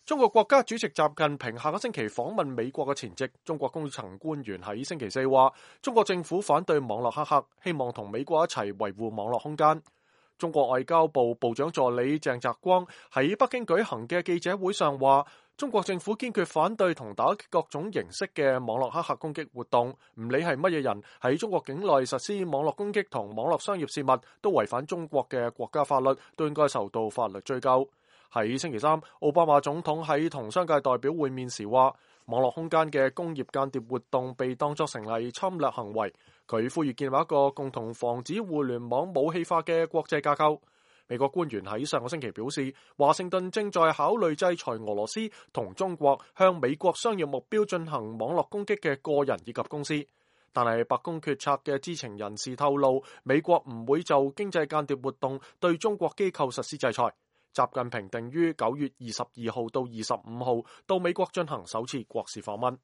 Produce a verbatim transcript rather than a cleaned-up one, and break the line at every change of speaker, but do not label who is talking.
中國國家主席習近平下個星期訪問美國嘅前夕，中國高層官員喺星期四話，中國政府反對網絡黑客，希望同美國一齊維護網絡空間。中國外交部部長助理鄭澤光喺北京舉行嘅記者會上話，中國政府堅決反對同打擊各種形式嘅網絡黑客攻擊活動，唔理係乜嘢人喺中國境內實施網絡攻擊同網絡商業事務，都違反中國嘅國家法律，都應該受到法律追究。喺星期三，奧巴馬總統喺同商界代表會面時話，網絡空間嘅工業間諜活動被當作成為侵略行為。佢呼籲建立一個共同防止互聯網武器化嘅國際架構。美國官員喺上個星期表示，華盛頓正在考慮制裁俄羅斯同中國向美國商業目標進行網絡攻擊嘅個人以及公司。但係白宮決策嘅知情人士透露，美國唔會就經濟間諜活動對中國機構實施制裁。習近平定於九月二十二號到二十五號到美國進行首次國事訪問。